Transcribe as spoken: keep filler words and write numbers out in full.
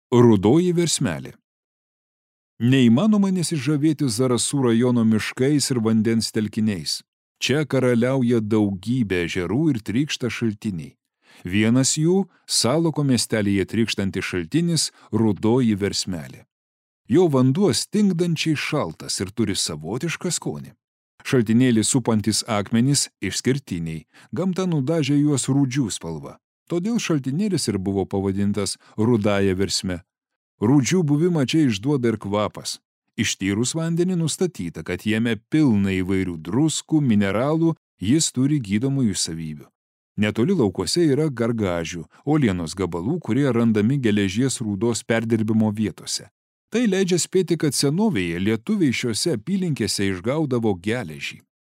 Rudoji versmelė. Neįmanoma nesižavėti Zarasų rajono miškais ir vandens telkiniais. Čia karaliauja daugybė ežerų ir trykšta šaltiniai. Vienas jų – Saloko miestelyje trykštantis šaltinis Rudoji versmelė. Jo vanduo stingdančiai šaltas ir turi savotišką skonį. Šaltinėlį supantis akmenys išskirtiniai, gamta nudažė juos rūdžių spalva. Todėl šaltinėlis ir buvo pavadintas Rudąja versme. Rūdžių buvimą čia išduoda ir kvapas. Ištyrus vandenį nustatyta, kad jame pilna įvairių druskų, mineralų, jis turi gydomųjų savybių. Netoli laukuose yra gargažių, uolienos gabalų, kurie randami geležies rūdos perdirbimo vietose. Tai leidžia spėti, kad senovėje lietuviai šiose apylinkėse išgaudavo geležį.